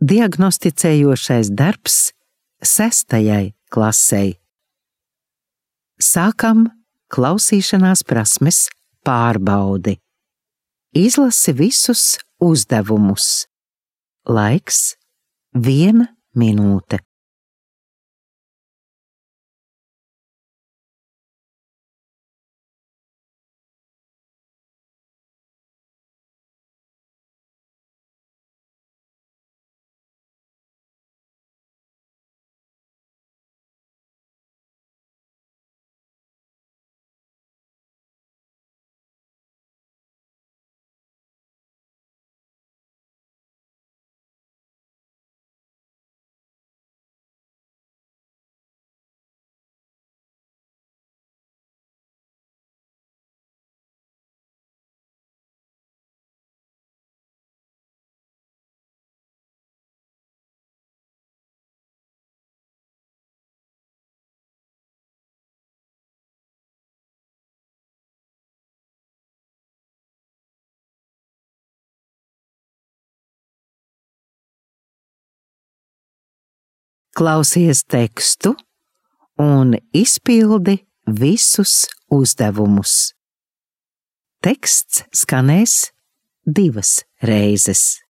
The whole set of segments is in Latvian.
Diagnosticējošais darbs 6. klasei. Sākam klausīšanās prasmes pārbaudi. Izlasi visus uzdevumus. Laiks 1 minūte. Klausies tekstu un izpildi visus uzdevumus. Teksts skanēs 2 reizes.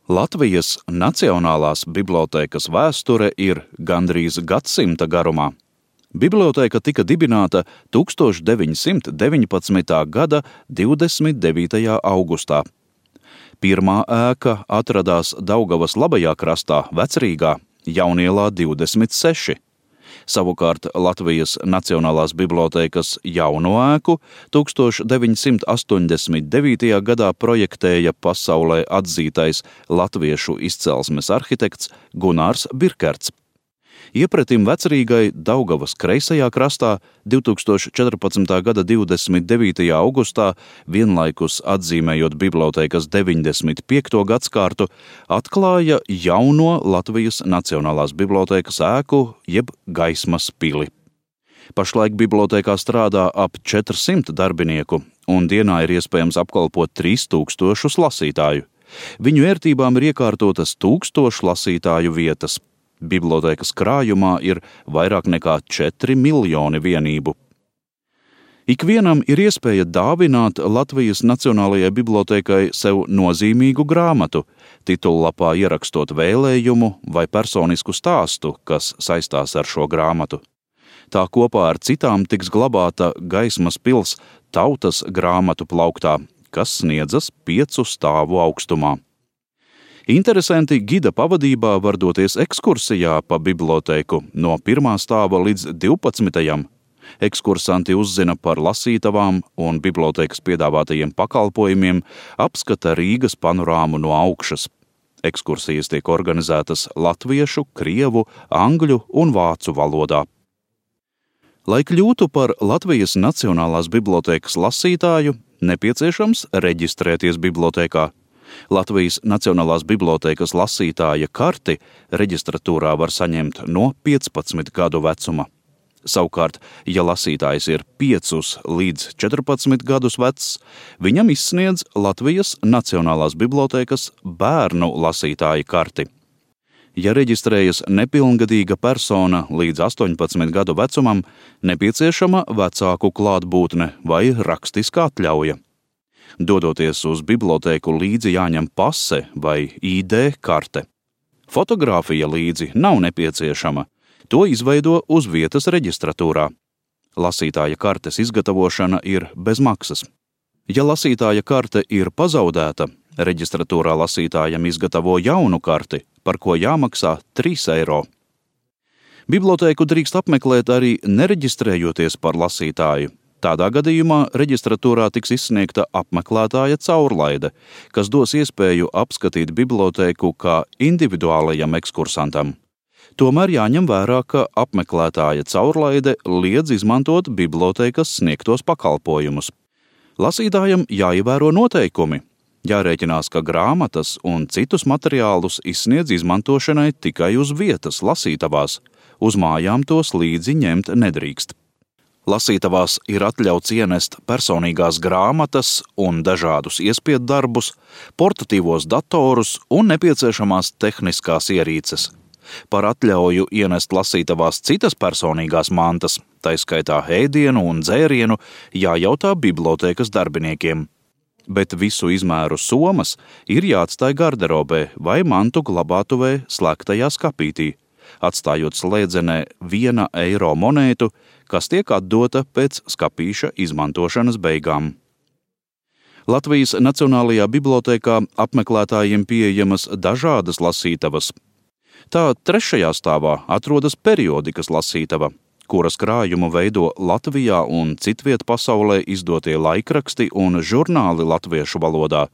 Latvijas Nacionālās bibliotēkas vēsture ir gandrīz gadsimta garumā. Bibliotēka tika dibināta 1919. Gada 29. augustā. Pirmā ēka atradās Daugavas labajā krastā, Vecrīgā, Jaunielā 26. Savukārt Latvijas Nacionālās bibliotēkas jauno ēku 1989. gadā projektēja pasaulē atzītais latviešu izcelsmes arhitekts Gunārs Birkerts. Iepretim Vecrīgai Daugavas kreisajā krastā 2014. gada 29. augustā, vienlaikus atzīmējot bibliotēkas 95. gadskārtu, atklāja jauno Latvijas Nacionālās bibliotēkas ēku jeb Gaismas pili. Pašlaik bibliotēkā strādā ap 400 darbinieku, un dienā ir iespējams apkalpot 3000 lasītāju. Viņu ērtībām ir iekārtotas 1000 lasītāju vietas. Bibliotēkas krājumā ir vairāk nekā 4 miljoni vienību. Ikvienam ir iespēja dāvināt Latvijas Nacionālajai bibliotēkai sev nozīmīgu grāmatu, titullapā ierakstot vēlējumu vai personisku stāstu, kas saistās ar šo grāmatu. Tā kopā ar citām tiks glabāta Gaismas pils tautas grāmatu plauktā, kas sniedzas 5 stāvu augstumā. Interesanti gida pavadībā var doties ekskursijā pa bibliotēku no 1. stāva līdz 12. Ekskursanti uzzina par lasītavām un bibliotēkas piedāvātajiem pakalpojumiem, apskata Rīgas panorāmu no augšas. Ekskursijas tiek organizētas latviešu, krievu, angļu un vācu valodā. Lai kļūtu par Latvijas Nacionālās bibliotēkas lasītāju, nepieciešams reģistrēties bibliotēkā. Latvijas Nacionālās bibliotēkas lasītāja karti reģistratūrā var saņemt no 15 gadu vecuma. Savukārt, ja lasītājs ir 5 līdz 14 gadus vecs, viņam izsniedz Latvijas Nacionālās bibliotēkas bērnu lasītāja karti. Ja reģistrējas nepilngadīga persona līdz 18 gadu vecumam, nepieciešama vecāku klātbūtne vai rakstiska atļauja. Dodoties uz bibliotēku līdzi jāņem pase vai ID karte. Fotogrāfija līdzi nav nepieciešama, to izveido uz vietas reģistratūrā. Lasītāja kartes izgatavošana ir bez maksas. Ja lasītāja karte ir pazaudēta, reģistratūrā lasītājam izgatavo jaunu karti, par ko jāmaksā 3 eiro. Bibliotēku drīkst apmeklēt arī nereģistrējoties par lasītāju. Tādā gadījumā reģistratūrā tiks izsniegta apmeklētāja caurlaide, kas dos iespēju apskatīt bibliotēku kā individuālajam ekskursantam. Tomēr jāņem vērā, ka apmeklētāja caurlaide liedz izmantot bibliotēkas sniegtos pakalpojumus. Lasītājam jāievēro noteikumi. Jārēķinās, ka grāmatas un citus materiālus izsniedz izmantošanai tikai uz vietas lasītavās. Uz mājām tos līdzi ņemt nedrīkst. Lasītavās ir atļauts ienest personīgās grāmatas un dažādus iespiedddarbus, portatīvos datorus un nepieciešamās tehniskās ierīces. Par atļauju ienest lasītavās citas personīgās mantas, tai skaitā ēdienu un dzērienu, jājautā bibliotēkas darbiniekiem. Bet visu izmēru somas ir jāatstāj garderobē vai mantu glabātuvē slēgtajā skapītī, atstājot slēdzenē 1 eiro monētu, kas tiek atdota pēc skapīša izmantošanas beigām. Latvijas Nacionālajā bibliotēkā apmeklētājiem pieejamas dažādas lasītavas. Tā 3. stāvā atrodas periodikas lasītava, kuras krājumu veido Latvijā un citviet pasaulē izdotie laikraksti un žurnāli latviešu valodā,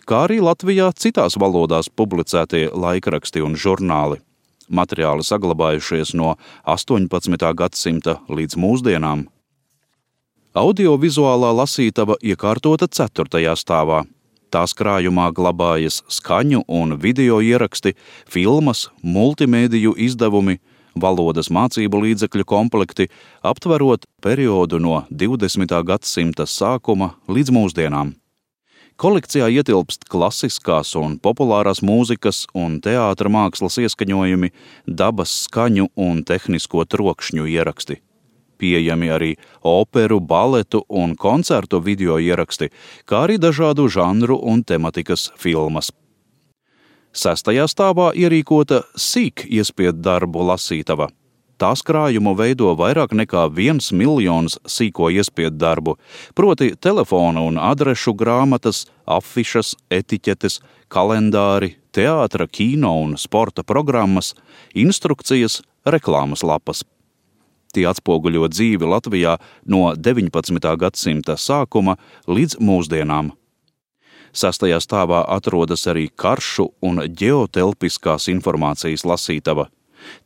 kā arī Latvijā citās valodās publicētie laikraksti un žurnāli. Materiāli saglabājušies no 18. gadsimta līdz mūsdienām. Audiovizuālā lasītava iekārtota 4. stāvā. Tās krājumā glabājas skaņu un video ieraksti, filmas, multimēdiju izdevumi, valodas mācību līdzekļu komplekti, aptverot periodu no 20. gadsimta sākuma līdz mūsdienām. Kolekcijā ietilpst klasiskās un populārās mūzikas un teātra mākslas ieskaņojumi, dabas skaņu un tehnisko trokšņu ieraksti. Pieejami arī operu, baletu un koncertu video ieraksti, kā arī dažādu žanru un tematikas filmas. 6. stāvā ierīkota sīk iespieddarbu lasītava. Tās krājumu veido vairāk nekā 1 miljons sīko iespieddarbu, proti telefona un adrešu grāmatas, afišas, etiķetes, kalendāri, teātra, kino un sporta programmas, instrukcijas, reklāmas lapas. Tie atspoguļo dzīvi Latvijā no 19. gadsimta sākuma līdz mūsdienām. 6. stāvā atrodas arī karšu un ģeotelpiskās informācijas lasītava.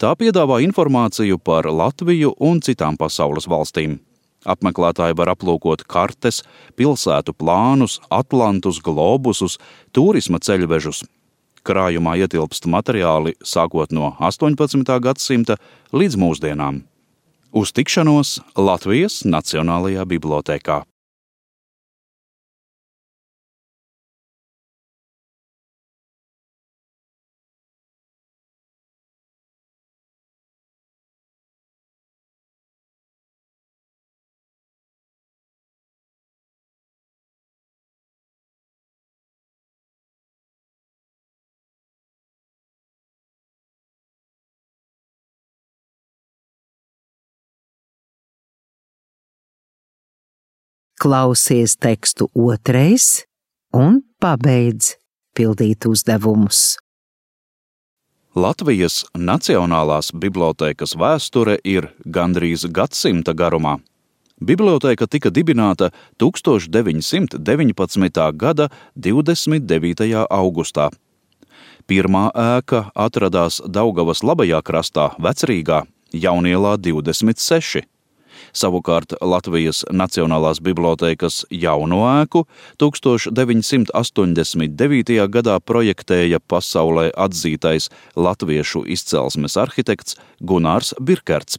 Tā piedāvā informāciju par Latviju un citām pasaules valstīm. Apmeklētāji var aplūkot kartes, pilsētu plānus, atlantus, globusus, turisma ceļvežus. Krājumā ietilpst materiāli sākot no 18. gadsimta līdz mūsdienām. Uz tikšanos Latvijas Nacionālajā bibliotēkā. Klausies tekstu 2. un pabeidz pildīt uzdevumus. Latvijas Nacionālās bibliotēkas vēsture ir gandrīz gadsimta garumā. Bibliotēka tika dibināta 1919. gada 29. augustā. Pirmā ēka atradās Daugavas labajā krastā, Vecrīgā, Jaunielā 26. Savukārt Latvijas Nacionālās bibliotēkas jauno ēku 1989. gadā projektēja pasaulē atzītais latviešu izcelsmes arhitekts Gunārs Birkerts.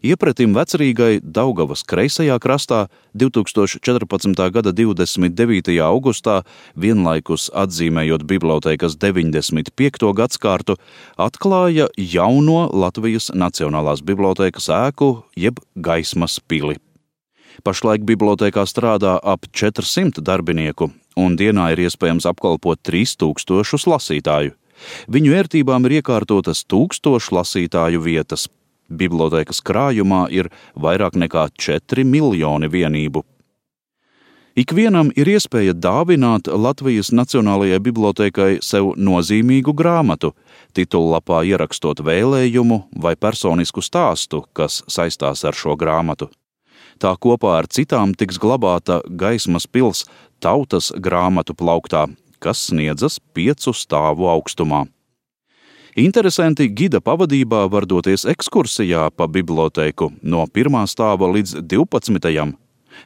Iepretim Vecrīgai Daugavas kreisajā krastā 2014. gada 29. augustā, vienlaikus atzīmējot bibliotēkas 95. gadskārtu, atklāja jauno Latvijas Nacionālās bibliotēkas ēku jeb Gaismas pili. Pašlaik bibliotēkā strādā ap 400 darbinieku, un dienā ir iespējams apkalpot 3000 lasītāju. Viņu ērtībām ir iekārtotas 1000 lasītāju vietas. Bibliotēkas krājumā ir vairāk nekā 4 miljoni vienību. Ikvienam ir iespēja dāvināt Latvijas Nacionālajai bibliotēkai sev nozīmīgu grāmatu, titullapā ierakstot vēlējumu vai personisku stāstu, kas saistās ar šo grāmatu. Tā kopā ar citām tiks glabāta Gaismas pils tautas grāmatu plauktā, kas sniedzas 5 stāvu augstumā. Interesanti gida pavadībā var doties ekskursijā pa bibliotēku no 1. stāva līdz 12.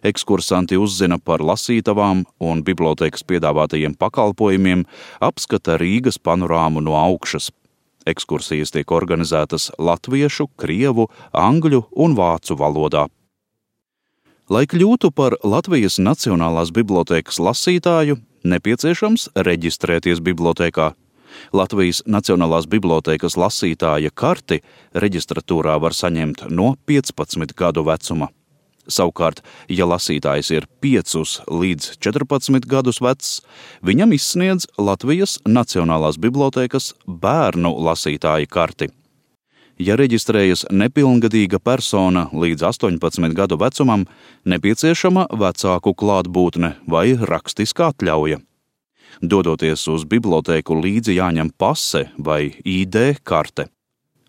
Ekskursanti uzzina par lasītavām un bibliotēkas piedāvātajiem pakalpojumiem, apskata Rīgas panorāmu no augšas. Ekskursijas tiek organizētas latviešu, krievu, angļu un vācu valodā. Lai kļūtu par Latvijas Nacionālās bibliotēkas lasītāju, nepieciešams reģistrēties bibliotēkā. Latvijas Nacionālās bibliotēkas lasītāja karti reģistratūrā var saņemt no 15 gadu vecuma. Savukārt, ja lasītājs ir 5 līdz 14 gadus vecs, viņam izsniedz Latvijas Nacionālās bibliotēkas bērnu lasītāja karti. Ja reģistrējas nepilngadīga persona līdz 18 gadu vecumam, nepieciešama vecāku klātbūtne vai rakstiska atļauja. Dodoties uz bibliotēku, līdzi jāņem pase vai ID karte.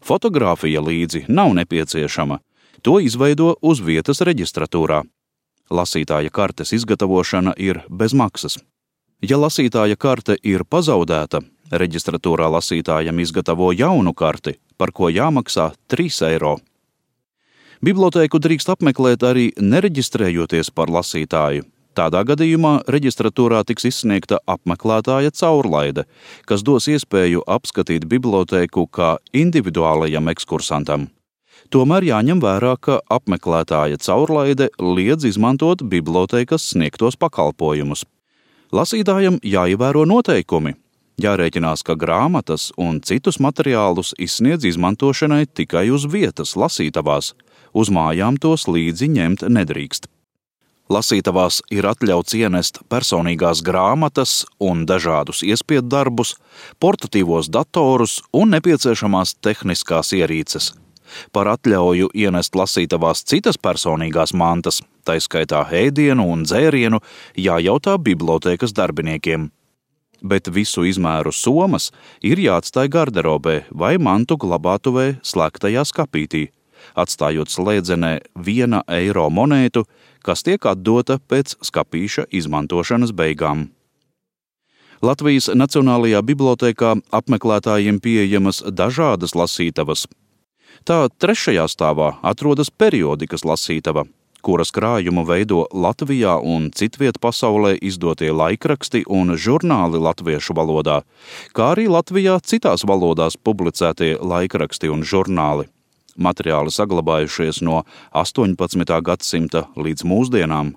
Fotogrāfija līdzi nav nepieciešama. To izveido uz vietas reģistratūrā. Lasītāja kartes izgatavošana ir bez maksas. Ja lasītāja karte ir pazaudēta, reģistratūrā lasītājam izgatavo jaunu karti, par ko jāmaksā 3 eiro. Bibliotēku drīkst apmeklēt arī nereģistrējoties par lasītāju. Tādā gadījumā reģistratūrā tiks izsniegta apmeklētāja caurlaide, kas dos iespēju apskatīt bibliotēku kā individuālajam ekskursantam. Tomēr jāņem vērā, ka apmeklētāja caurlaide liedz izmantot bibliotēkas sniegtos pakalpojumus. Lasītājam jāievēro noteikumi. Jārēķinās, ka grāmatas un citus materiālus izsniedz izmantošanai tikai uz vietas lasītavās. Uz mājām tos līdzi ņemt nedrīkst. Lasītavās ir atļauts ienest personīgās grāmatas un dažādus iespiedddarbus, portatīvos datorus un nepieciešamās tehniskās ierīces. Par atļauju ienest lasītavās citas personīgās mantas, tai skaitā ēdienu un dzērienu, jājautā bibliotēkas darbiniekiem. Bet visu izmēru somas ir jāatstāj garderobē vai mantu glabātuvē slēgtajā skapītī, atstājot slēdzenē 1 eiro monētu, kas tiek atdota pēc skapīša izmantošanas beigām. Latvijas Nacionālajā bibliotēkā apmeklētājiem pieejamas dažādas lasītavas. Tā 3. stāvā atrodas periodikas lasītava, kuras krājumu veido Latvijā un citviet pasaulē izdotie laikraksti un žurnāli latviešu valodā, kā arī Latvijā citās valodās publicētie laikraksti un žurnāli. Materiāli saglabājušies no 18. gadsimta līdz mūsdienām.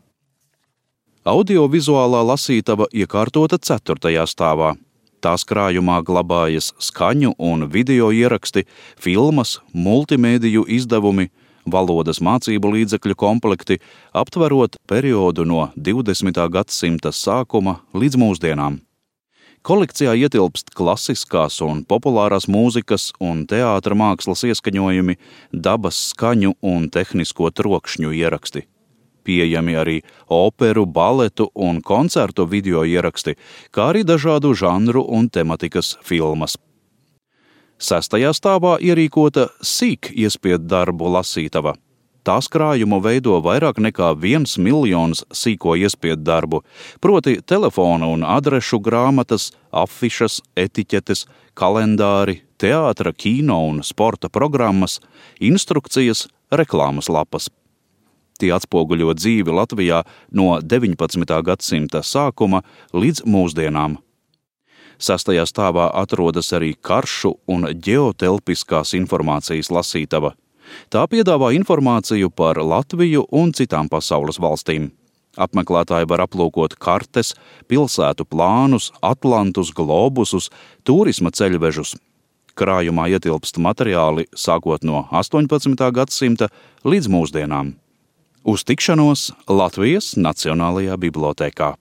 Audiovizuālā lasītava iekārtota 4. stāvā. Tās krājumā glabājas skaņu un video ieraksti, filmas, multimēdiju izdevumi, valodas mācību līdzekļu komplekti, aptverot periodu no 20. gadsimta sākuma līdz mūsdienām. Kolekcijā ietilpst klasiskās un populārās mūzikas un teātra mākslas ieskaņojumi, dabas skaņu un tehnisko trokšņu ieraksti. Pieejami arī operu, baletu un koncertu video ieraksti, kā arī dažādu žanru un tematikas filmas. 6. stāvā ierīkota sīk iespieddarbu lasītava. Tās krājumu veido vairāk nekā 1 miljons sīko iespieddarbu, proti telefona un adrešu grāmatas, afišas, etiķetes, kalendāri, teātra, kino un sporta programmas, instrukcijas, reklāmas lapas. Tie atspoguļo dzīvi Latvijā no 19. gadsimta sākuma līdz mūsdienām. 6. stāvā atrodas arī karšu un ģeotelpiskās informācijas lasītava. Tā piedāvā informāciju par Latviju un citām pasaules valstīm. Apmeklētāji var aplūkot kartes, pilsētu plānus, atlantus, globusus, turisma ceļvežus. Krājumā ietilpst materiāli sākot no 18. gadsimta līdz mūsdienām. Uz tikšanos Latvijas Nacionālajā bibliotēkā.